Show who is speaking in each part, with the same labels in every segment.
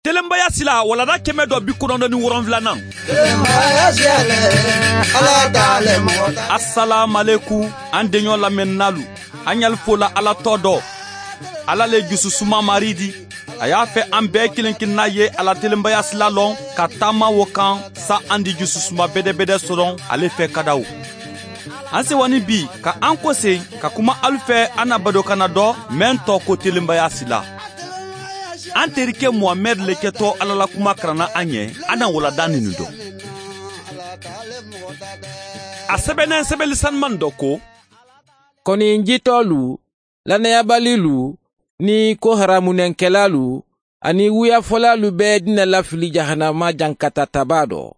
Speaker 1: Telenbaya sila walada 197nan. Assalamu alaikum, an denɲɔ lamɛnnalu, an y'al fola Ala tɔ dɔ. Ala le jususuma maridi. A y'a fɛ an bɛɛ kelen kelenna ye ala telenbaya sila lɔn ka taama wo kan sa an di jususuma bɛdɛbɛdɛ sɔrɔ ale fɛ kadaw. An sewani bi ka an kɔsen ka kuma alu fɛ an na badokana dɔ mɛn tɔ ko telenbaya sila. An terikɛ Muhamɛd le kɛtɔ Ala la kuma karanna an ɲɛ an na walada ninu dɔ. A sɛbɛnnen sɛbɛli sanuman dɔ ko:
Speaker 2: Kɔni jitɔlu, lannayabalilu ni ko haramunɛnkɛlalu ani wuyafɔlalu bɛɛ dina lafili jahanama jankata taba dɔ.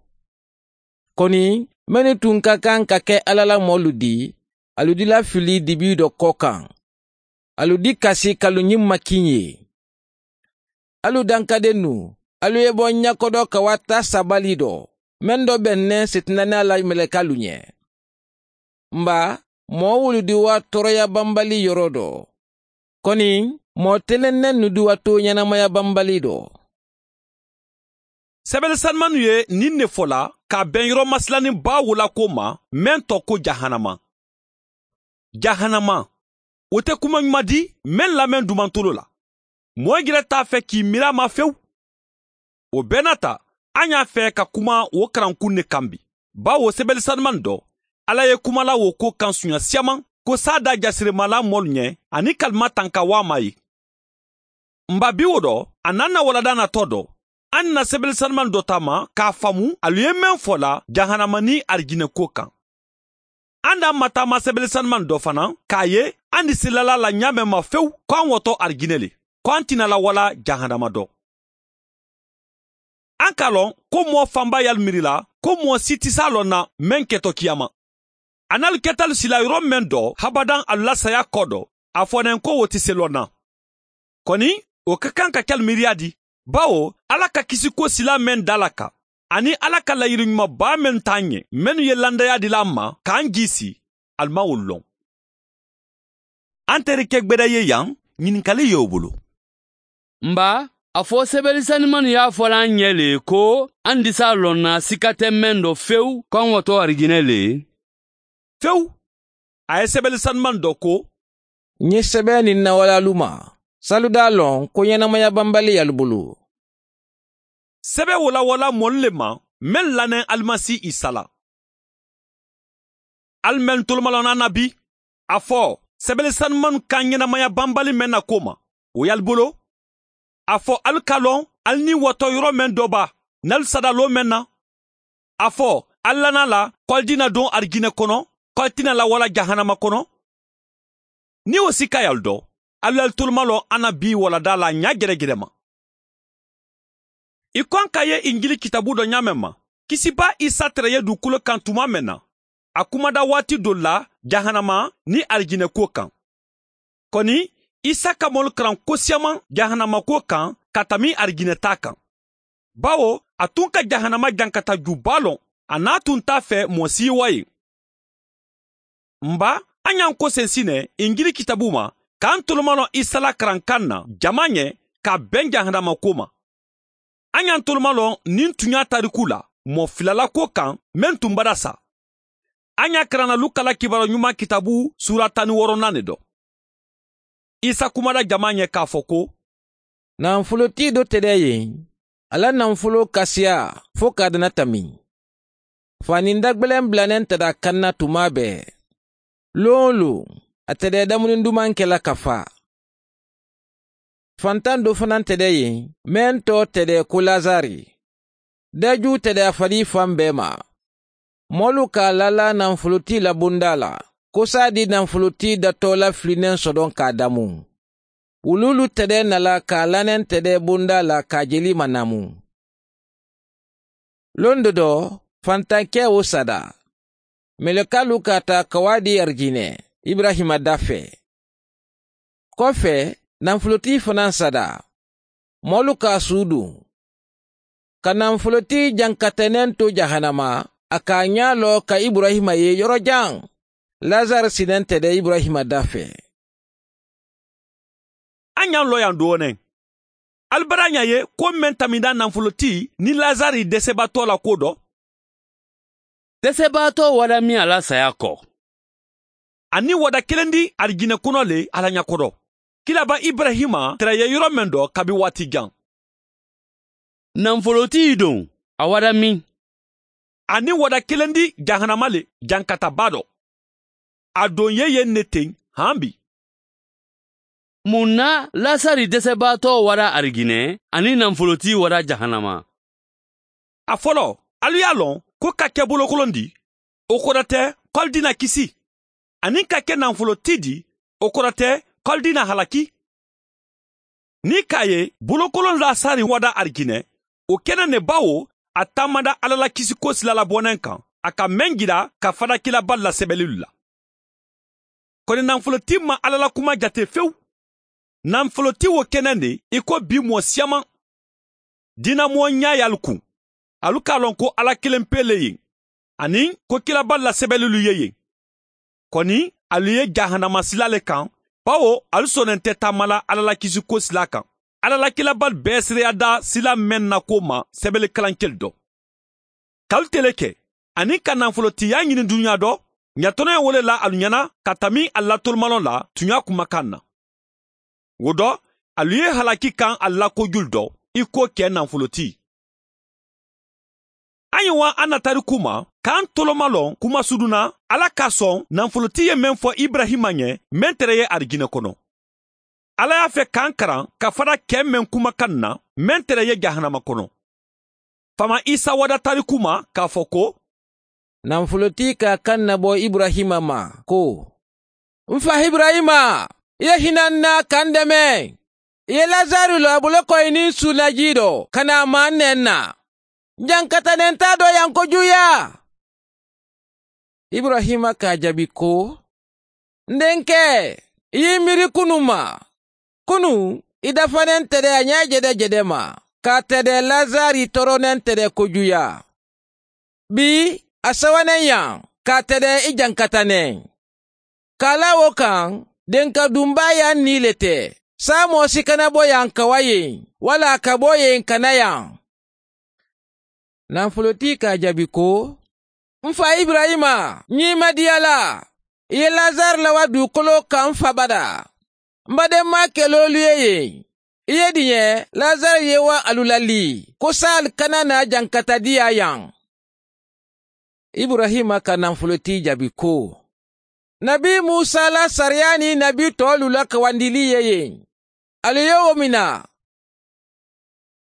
Speaker 2: Kɔni minnu tun ka kan ka kɛ Ala la mɔlu di, alu di lafili dibi dɔ kɔ kan. Alu di kasi kalu ɲin makin ye. Alu dankadennu, alu ye bɔ ɲakɔdɔ ka wa ta sabali dɔ, mɛn dɔ bɛnnɛ sitanɛ la mɛlɛkalu ɲɛ. Nba, mɔɔ wulu di wa tɔɔrɔya banbali yɔrɔ dɔ. Kɔni, mɔɔ telennɛ nu di wa to ɲɛnamaya banbali dɔ.
Speaker 1: Sɛbɛnni sanumanu ye nin ne fɔ la k'a bɛn yɔrɔ masilanin ba wola ko ma mɛn tɔ ko jahanama. Jahanama, o tɛ kuma ɲuman di mɛn lamɛn dumantolo la. Mɔɔ yɛrɛ t'a fɛ k'i miiri a ma fewu. O bɛɛ n'a ta, an y'a fɛ ka kuma o karankun ne kan bi. Bawo sɛbɛnni sanuman dɔ, Ala ye kuma la o ko kan sunya siaman ko sa da jasiremala mɔlu ɲɛ ani kalima tanka wa ma ye. Nba bi o dɔ, a n'an na walada natɔ dɔ, an na sɛbɛnni sanuman dɔ taama k'a faamu alu ye mɛn fɔ la jahanama ni arijinɛ ko kan. An d'an ma taama sɛbɛnni sanuman dɔ fana k'a ye an di silala la ɲa mɛn ma fewu k'an wɔtɔ arijinɛ le, k'an tɛna lawala jahanama dɔ. An k'a lɔn ko mɔɔ fanba y'al miiri la ko mɔɔ si tɛ s'a lɔn na mɛn kɛtɔ kiyama. A n'alu kɛtalu sila yɔrɔ mɛn dɔ habadan alu la saya kɔ dɔ, a fɔnɛn ko o tɛ se lɔn na. Kɔni o ka kan ka kɛ miiriya di, bawo Ala ka kisi ko sila mɛn da la kan, ani Ala ka layiri ɲumanba mɛn t'an ɲɛ, minnu ye landaya dila an ma k'an jisi, alu ma o lɔn. An terikɛ gbɛdɛ ye yan, ɲininkali y'o bolo.
Speaker 3: Nba, a fɔ sɛbɛnni sanuman y'a fɔla an ɲɛ le ko an di s'a lɔn na sika tɛ mɛn dɔ fewu k'an wɔtɔ arijinɛ le.
Speaker 1: Fewu, a ye sɛbɛnni sanuman dɔ ko:
Speaker 2: N ye sɛbɛn nin nawalalu ma, salu d'a lɔn ko ɲɛnamaya banbali y'alu bolo.
Speaker 1: Sɛbɛn walawala mɔlu le ma mɛn lanɛ Alimasi Isa la. Ali mɛn tolomalɔnna na bi, a fɔ sɛbɛnni sanuman ka ɲɛnamaya banbali mɛn na ko ma, o y'alu bolo. A fɔ alu ka lɔn alu ni wɔtɔ yɔrɔ mɛn dɔ ba, n'alu sadalo mɛn na. A fɔ alu lana la k'alu dina don arijinɛ kɔnɔ, k'alu tɛna lawala jahanama kɔnɔ. Ni o si ka y'alu dɔn, alu y'alu toloma lɔ an na bi walada la ɲa gɛrɛgɛrɛ ma. I kɔn ka ye Injili kitabu dɔ ɲa mɛn ma, Kisiba Isa tɛrɛ ye dugukolo kan tuma mɛn na, a kumada waati dɔ la jahanama ni arijinɛ ko kan. Kɔni, Isa ka mɔlu karan ko siaman jahanama ko kan ka tami arijinɛ ta kan. Bawo a tun ka jahanama jankata juba lɔn, a n'a tun t'a fɛ mɔɔ si wa ye. Nba, an y'an ko sensinɛ Injili kitabu ma k'an tolomalɔ Isa la karankan na jama ɲɛ ka bɛn jahanama ko ma. An y'an tolomalɔ nin tun y'a tariku la mɔɔ filala ko kan mɛn tun bada sa. An y'a karanna Luka la kibaru ɲuman kitabu sura 16nan de dɔ. Isa kumada jama ɲɛ k'a fɔ ko:
Speaker 2: Nafolotigi dɔ tɛ dɛ yen, ala nafolo kasiya fo k'a dana tami. Fani dagbɛlɛn bilanen tɛ da kan na tuma bɛɛ. Lon o lon, a tɛ dɛ dumuni duman kɛla ka fa. Fantan dɔ fana tɛ dɛ yen, mɛn tɔ tɛ dɛ ko Lazari. Daju tɛ dɛ a fari fan bɛɛ ma. Mɔlu k'a lala nafolotigi la bonda la, ko sa di nafolotigi datɔ la filinen sɔdɔn k'a damu. Wululu tɛ dɛ nala k'a lanɛn tɛ dɛ bonda la k'a jeli manamu. Lon dɔ dɔ, fantankɛ o sada. Mɛlɛkalu ka ta ka di arijinɛ Ibrahima da fɛ. Kɔfɛ, nafolotigi fana sada. Mɔlu k'a su dun. Ka nafolotigi jankatɛnɛn to jahanama, a k'a ɲa lɔ ka Ibrahima ye yɔrɔ jan. Lazare sinɛn tɛ dɛ Ibrahima da fɛ.
Speaker 1: An y'an lɔ yan dɔɔnin. Albaranya ye ko mɛn tamida nafoloti ni Lazari dɛsɛbaatɔ la ko dɔ.
Speaker 3: Dɛsɛbaatɔ wada min ala saya kɔ.
Speaker 1: Ani wada kelen di arijinɛ kɔnɔ le ala ɲakɔrɔ. Kilaba Ibrahima tɛrɛ ye yɔrɔ min dɔ kabi waati jan.
Speaker 3: Nafoloti don a wada min.
Speaker 1: Ani wada kelen di jahanama le jankataba dɔ. A don ye yen ne ten han bi.
Speaker 3: Mun na Lasari dɛsɛbaatɔ wara ariginɛ ani nafoloti wara jahanama?
Speaker 1: A fɔlɔ, alu y'a lɔn ko ka kɛ bolokolon di, o kɔrɔ tɛ k'alu dina kisi. Ani ka kɛ nafoloti di, o kɔrɔ tɛ k'alu dina halaki. Ni k'a ye bolokolon Lasari wada ariginɛ, o kɛnɛ ne bawo a taamada Ala la kisiko sila labɔnɛ kan, a ka mɛn jira ka fada kilaba lasɛbɛlilu la. Kɔni nafoloti ma Ala la kuma jate fewu. Nafoloti wo kɛnɛ de i ko bi mɔ siyaman. Dinamɔ ɲa y'alu kun. Alu k'a lɔn ko Ala kelen pe le yen, ani ko kilaba lasɛbɛlilu ye yen. Kɔni alu ye jahanama sila le kan, bawo alu sɔnnen tɛ taama la Ala la kisiko sila kan. Ala la kilaba bɛɛ seereya da sila mɛn na ko ma sɛbɛnni kalankɛli dɔ. K'alu tele kɛ, ani ka nafolotiya ɲini dunuya dɔ, ɲatɔnɔ ye wele la alu ɲɛna ka tami a latolomalɔ la tunya kumakan na. O dɔ, alu ye halaki kan a la kojulu dɔ, i ko kɛ nafoloti. An ye wa an na tariku ma, k'an tolomalɔn kuma suduna, Ala ka sɔn nafoloti ye mɛn fɔ Ibrahima ɲɛ, mɛn tɛrɛ ye arijinɛ kɔnɔ. Ala y'a fɛ k'an karan ka fara kɛ mɛn kumakan na, mɛn tɛrɛ ye jahanama kɔnɔ. Fama Isa wada tariku ma k'a fɔ ko,
Speaker 2: nafoloti ka kan nabɔ Ibrahima ma ko, n fa Ibrahima, i ye hinɛ n na ka n dɛmɛ. I ye Lazari lɔ a bolo kɔ i ni sunaji dɔ ka na a ma n nɛn na. Jankatanen t'a dɔ yan kojuya. Ibrahima k'a jaabi ko, n denkɛ, i y'i miiri kunu ma. Kunu, i dafanen tɛ dɛ a ɲɛ jɛdɛ jɛdɛ ma, k'a tɛ dɛ Lazari tɔɔrɔnen tɛ dɛ kojuya. Bi, a sabanan yan, k'a tɛ dɛ i jankatanen. K'a la o kan, denka dunba yan ni le tɛ. Sa mɔgɔ si kana bɔ yan ka wa yen, wala ka bɔ yen ka na yan. Nafoloti k'a jaabi ko, n fa Ibrahima, n y'i madiya la. I ye Lazare lawa dugukolo kan n fa bada. N badenma kɛl'olu ye yen. I ye diɲɛ, Lazare ye wa alu lali, ko sal kana na jankata diya yan. Ibrahima ka nafoloti jaabi ko, Nabi Musa la sariya ni nabi tɔlu la kawandili ye yen. Ale ye o mina.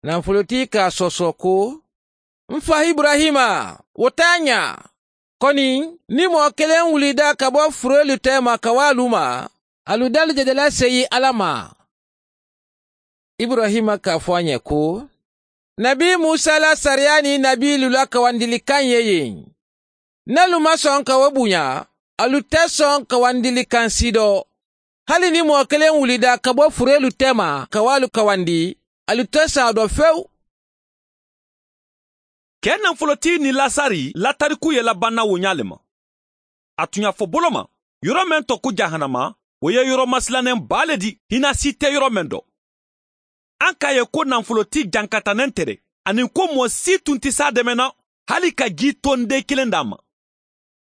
Speaker 2: Nafoloti k'a sɔsɔ ko, n fa Ibrahima, o t'a ɲa. Kɔni, ni mɔgɔ kelen wulida ka bɔ furelu tɛ ma ka wa alu ma, alu dalu jɛdɛla seyi Ala ma. Ibrahima k'a fɔ a ɲɛ ko, Nabi Musa la sariya ni nabi la kawandilikan ye yen. N'alu ma sɔn ka o bonya, alu tɛ sɔn kawandilikan si dɔ. Hali ni mɔgɔ kelen wulida ka bɔ furelu tɛ ma ka wa alu kawandi, alu tɛ sɔn a dɔ fewu.
Speaker 1: Kɛ nafoloti ni Lasari latariku ye labanna wo ɲa le ma. A tun y'a fɔ bolo ma, yɔrɔ mɛn tɔ ko jahanama, o ye yɔrɔ masilannen ba le di, hinɛ si tɛ yɔrɔ mɛn dɔ. An k'a ye ko nafoloti jankatanen tɛ dɛ, ani ko mɔgɔ si tun tɛ s'a dɛmɛ na, hali ka ji tonden kelen d'a ma.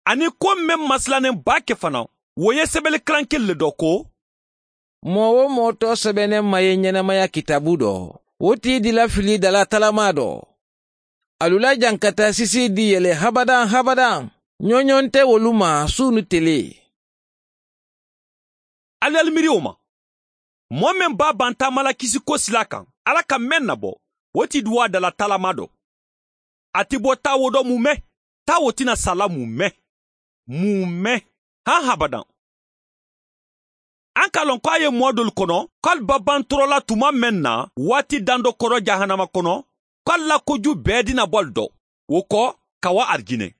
Speaker 1: Ani ko mɛn masilannen ba kɛ fana, o ye sɛbɛnni kalan kelen le dɔ ko,
Speaker 2: mɔgɔ o mɔgɔ tɔ sɛbɛnnen ma ye ɲɛnamaya kitabu dɔ, o t'i dila fili dala talama dɔ. Alula jankata sisi di yɛlɛ habadan habadan, ɲɔɲɔn tɛ olu ma su ni tele.
Speaker 1: Alu y'alu miiri o ma. Mɔgɔ min b'a ban taama la kisiko sila kan, Ala ka mɛn nabɔ, o ti duwa dala talama dɔ. A ti bɔ taa wo dɔ mun mɛn, taa wo tɛna sala mun mɛn, mun mɛn, han habadan. An k'a lɔn k'a ye mɔɔ dɔlu kɔnɔ, k'alu ba ban tɔɔrɔ la tuma mɛn na, waati dan dɔ kɔrɔ jahanama kɔnɔ, k'alu la koju bɛɛ dina bɔ alu dɔ, o kɔ ka wa arijinɛ.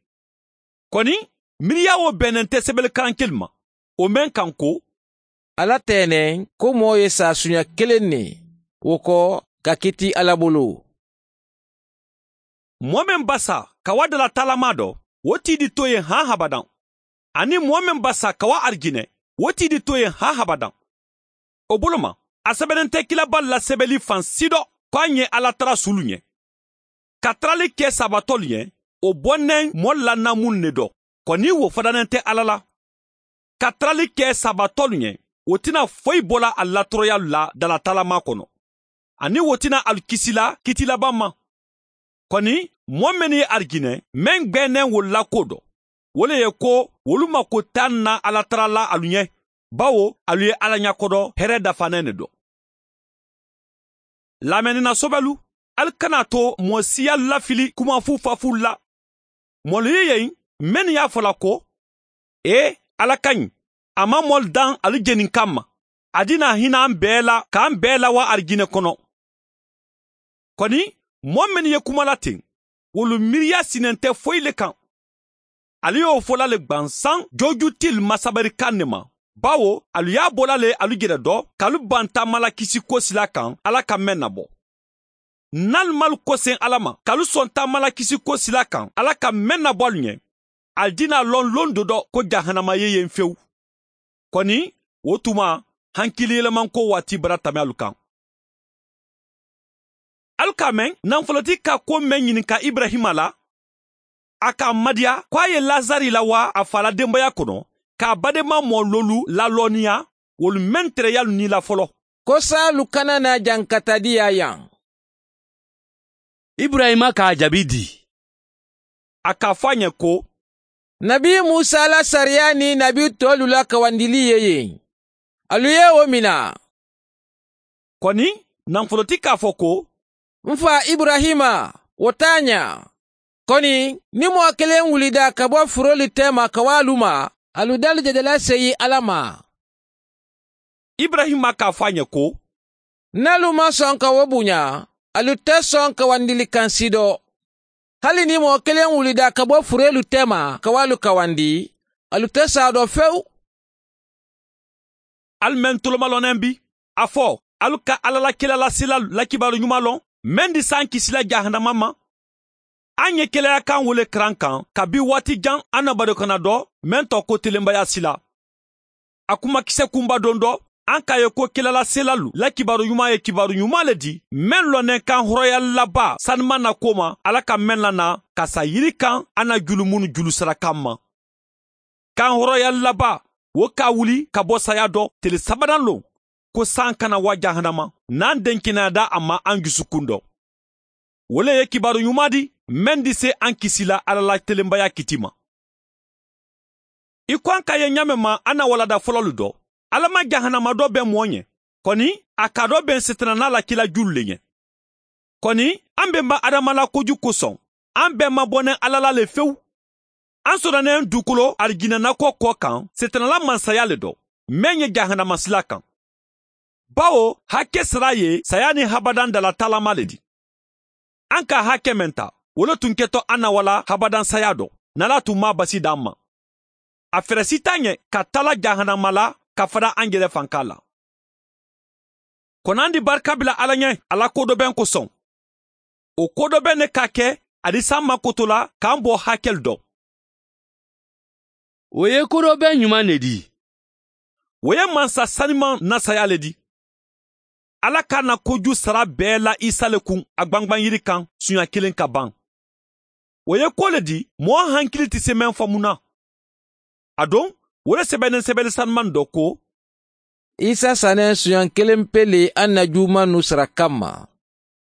Speaker 1: Kɔni, miiriya o bɛnnen tɛ sɛbɛnni kalan kelen ma, o mɛn kan ko,
Speaker 2: Ala tɛnɛ ko mɔɔ ye sa sunya kelen ne, o kɔ ka kiti Ala bolo.
Speaker 1: Mɔgɔ min ba sa ka wa dala talama dɔ, o t'i di to yen han habadan. Ani mɔgɔ min ba sa ka wa arijinɛ, o t'i di to yen han habadan. O bolo ma, A sɛbɛnnen tɛ kilaba la sɛbɛnli fan si dɔ k'an ye Ala tara sulu ɲɛ. Ka tarali kɛ sabatɔlu ɲɛ, o bɔnnen mɔli la namun ne dɔ, kɔni wo fadanen tɛ Ala la. Ka tarali kɛ sabatɔlu ɲɛ, o tɛna foyi bɔla a latɔrɔya la dalatalama kɔnɔ. Ani wo tɛna alu kisila kiti laban ma. Kɔni mɔɔ min ye arijinɛ, mɛn gbɛnnen wolu la ko dɔ. O le ye ko wolu mako t'a na Ala tara la alu ɲɛ, bawo alu ye Ala ɲakɔdɔ hɛrɛ dafanen de dɔ. Lamɛnina sɔbɛlu, alu kana to mɔɔ siya lafili kuma fufafu la. Mɔlu ye yen, mɛnnu y'a fɔla ko, ee Ala ka ɲi, a ma mɔlu dan alu jeni kama. A dina hinɛ an bɛɛ la k'an bɛɛ lawa arijinɛ kɔnɔ. Kɔni, mɔɔ minnu ye kuma la ten, wolu miiriya sinen tɛ foyi le kan. Ale y'o fɔla le gbansan jojutil masabarikan ne ma. Bawo, alu y'a bɔla le alu jɛrɛ dɔ, k'alu ban taama la kisi ko sila kan, Ala ka mɛn nabɔ. N'alu m'alu kɔsen Ala ma, k'alu sɔn taama la kisi ko sila kan, Ala ka mɛn nabɔ alu ɲɛ, ali dina lɔn lon dɔ dɔ ko jahanama ye yen fewu. Kɔni, o tuma, hankili yɛlɛmanko waati bara tɛmɛ alu kan. Alu k'a mɛn, nafolotigi ka ko mɛn ɲininka Ibrahima la, a k'a madiya ko a ye Lazari lawa a fa la denbaya kɔnɔ, k'a badenma mɔlolu lalɔnniya, wolu mɛn tɛrɛyalu ni la fɔlɔ.
Speaker 2: Ko saalu kana na jankatadiya yan.
Speaker 3: Ibrahima k'a jaabi di.
Speaker 1: A k'a fɔ a ɲɛ ko,
Speaker 2: Nabi Musa la sariya ni nabi tɔlu la kawandili ye yen. Alu ye o mina.
Speaker 1: Kɔni, nafolotigi k'a fɔ ko,
Speaker 2: N fa Ibrahima, o t'a ɲa. Kɔni, ni mɔgɔ kelen wulida ka bɔ furoli tɛma ka wa alu ma, alu dalu jɛjɛla seyi Ala ma.
Speaker 1: Ibrahima k'a fɔ a ɲɛ ko,
Speaker 2: N'alu ma sɔn ka o bonya, alu tɛ sɔn ka wandili kan si dɔ. Hali ni mɔgɔ kelen wulida ka bɔ furelu tɛma ka wa alu kawandi, alu tɛ sa dɔ fewu.
Speaker 1: Alu mɛn tolomalɔnɛ bi, a fɔ, alu ka Ala la kela lasela lakibaru ɲuman lɔn, mɛn di san kisila jahanama ma. An ye kɛlɛya kan wele karan kan kabi waati jan an na barokana dɔ mɛn tɔ ko telenbaya sila. A kumakisɛ kunba don dɔ, an k'a ye ko kɛlɛla selalu la kibaru ɲuman ye kibaru ɲuman le di, mɛn lɔnɛ kan hɔrɔnya laba sanuma na ko ma, Ala ka mɛn lana ka sa yiri kan an na julu minnu julu sara kan ma. Kan hɔrɔnya laba o ka wuli ka bɔ saya dɔ tele sabanan lon, ko san kana wa jahanama n'an den kɛnɛya da a ma an dusukun dɔ. O le ye kibaru ɲuman di mɛn di se an kisila Ala la telenbaya kiti ma. I ko an ka ye ɲamɛ ma an na walada fɔlɔlu dɔ, Ala ma jahanama dɔ bɛn mɔɔ ɲɛ, kɔni a ka dɔ bɛn setanana la kila julu le ɲɛ. Kɔni an bɛnba Adama la koju kosɔn, an bɛɛ ma bɔnɛ Ala la le fewu. An sɔrɔnen dugukolo arijinɛnakɔ kɔ kan setanala mansaya le dɔ, mɛn ye jahanama sila kan. Bawo hakɛ sira ye saya ni habadan dala talama le di. An ka hakɛ mɛn ta, o le tun kɛtɔ an na wala habadan saya dɔ, n'Ala tun ma basi d'an ma. A fɛrɛ si t'an ɲɛ ka tala jahanama la ka fara an yɛrɛ fanka la. Kɔnɔ di barika bila Ala ɲɛ, Ala kodɔbɛn kosɔn. O kodɔbɛn ne ka kɛ a di s'an ma koto la k'an bɔ hakɛli dɔ.
Speaker 3: O ye kodɔbɛn ɲuman de di.
Speaker 1: O ye mansa saniman nasaya le di. Ala ka na koju sara bɛɛ la Isa le kun a gbangban yiri kan suɲa kelen ka ban. O ye ko le di mɔgɔ hankili tɛ se mɛn faamu na. A don, o le sɛbɛnnen sɛbɛnni sanuman dɔ ko,
Speaker 2: Isa sannen suɲa kelen pe le an na juuma nu sara kama.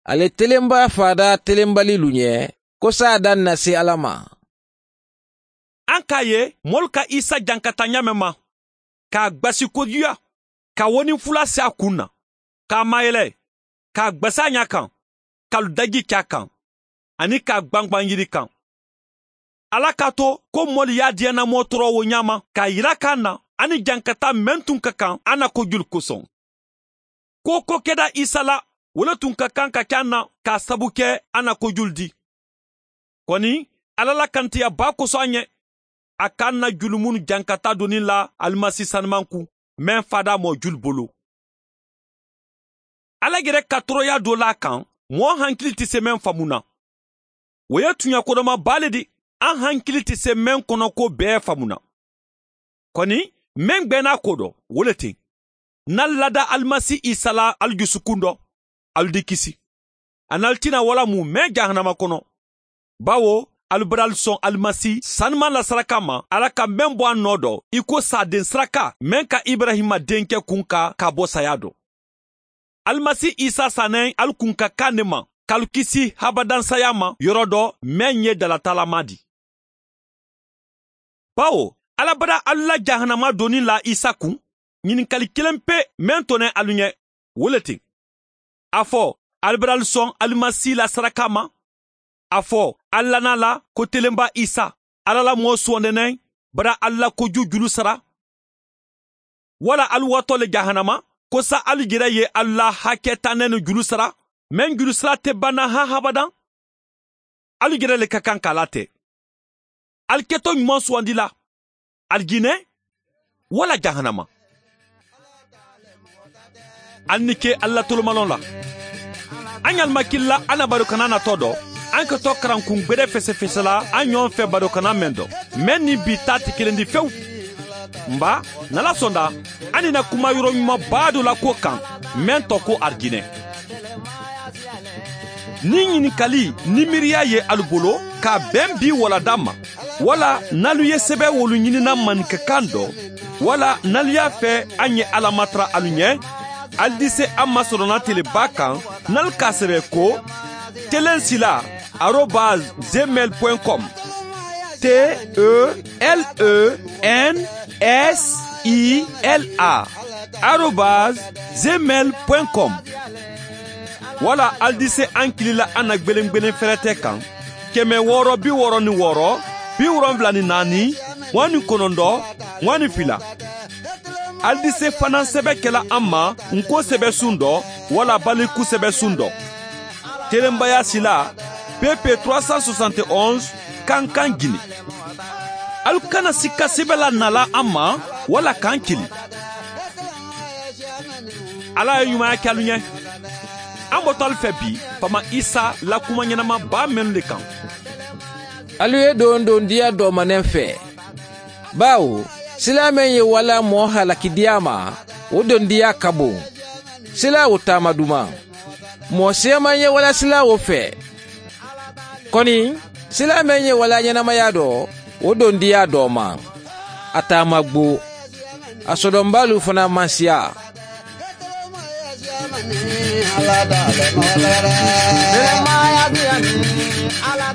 Speaker 2: Ale telenba fada telenbali lu ɲɛ, ko sa dan na se Ala ma.
Speaker 1: An k'a ye mɔlu ka Isa jankata ɲamɛ ma, k'a gbasi kojuya, ka woni fula se a kun na, k'a mayɛlɛ, k'a gbasa ɲa kan, k'alu daji kɛ a kan, ani k'a gbangban yiri kan. Ala k'a to ko mɔlu y'a diɲɛnamɔ tɔɔrɔ o ɲa ma, k'a yira k'an na, ani jankata mɛn tun ka kan an na kojulu kosɔn. Ko ko kɛda Isa la, o le tun ka kan ka kɛ an na k'a sabu kɛ an na kojulu di. Kɔni, Ala la kantiya ba kosɔn an ɲɛ, a k'an na julu minnu jankata donni la alimasi sanuman kun, mɛn fada mɔ julu bolo. Ala yɛrɛ ka tɔɔrɔya dɔ la kan, mɔgɔ hankili tɛ se mɛn faamu na. O ye tuɲa kodɔma ba le di, an hankili tɛ se mɛn kɔnɔ ko bɛɛ faamu na. Kɔni, mɛn gbɛnna ko dɔ, o le ten. N'al lada Alimasi Isa la alu jusukun dɔ, alu di kisi. An'alu tɛna wala mun mɛn jahanama kɔnɔ. Bawo alu bara alu sɔn Alimasi sanuman la saraka ma, Ala ka mɛn bɔ a nɔ dɔ, i ko saden saraka mɛn ka Ibrahima denkɛ kun ka ka bɔ saya dɔ. Alimasi Isa sannen alu kun ka kan ne ma, k'alu kisi habadan saya ma yɔrɔ dɔ mɛn ye dalatalama di. Bawo Ala bara alu la jahanama donni la Isa kun, ɲininkali kelen pe mɛn tɔnɛ alu ɲɛ, wo le ten. A fɔ alu bara alu sɔn Alimasi la saraka ma, a fɔ alu lana la ko telenba Isa, Ala la mɔgɔ sɔndɛnɛ bara alu la koju julu sara. Wala alu watɔ le jahanama, ko sa alu yɛrɛ ye alu la hakɛ tanɛ ni julu sara, mɛn julu sara tɛ banna han habadan. Alu yɛrɛ le ka kan k'a latɛ. Alu kɛtɔ ɲuman sugandi la, alijinɛ wala jahanama. Alu ni ke Ala tolomalɔn la. An y'alimakili la an na barokana natɔ dɔ, an ka tɔ karankun gbɛdɛ fɛsɛfɛsɛ la an ɲɔgɔn fɛ barokana mɛn dɔ, mɛn ni bi ta tɛ kelen di fewu. Nba n'Ala sɔnna, an nina kuma yɔrɔ ɲumanba dɔ la ko kan mɛn tɔ ko arijinɛ. Ni ɲininkali ni miiriya ye alu bolo ka bɛn bi walada ma, wala n'alu ye sɛbɛn wolu ɲinina maninkakan dɔ, wala n'alu y'a fɛ an ye Ala matara alu ɲɛ, alu di se an masɔrɔna teleba kan n'alu k'a sɛbɛn ko telensila @gmail.com telensila @gmail.com. Wala alu di se an kilila an na gbelengbelen fɛrɛtɛ kan 666 74 29 22. Alu di se fana sɛbɛ kɛla an ma nko sɛbɛ sun dɔ wala baliku sɛbɛ sun dɔ. Telenbaya sila PP 371 Kankan Guinée. Alu kana sika sɛbɛ la nala an ma wala k'an kili. Ala ye ɲumanya kɛ alu ɲɛ. An bɔtɔ alu fɛ bi Fama Isa la kuma ɲɛnama ba mɛnnu de kan.
Speaker 2: Alu ye don don diya dɔmanen fɛ. Bawo sila mɛn ye wala mɔɔ halakidiya ma, o don diya ka bon. Sila o taama duman. Mɔɔ siyaman ye wala sila o fɛ. Kɔni sila mɛn ye wala ɲɛnamaya dɔ, o don diya dɔ ma. A taama gbo. A sɔdɔnbalu fana man siya.
Speaker 4: Ala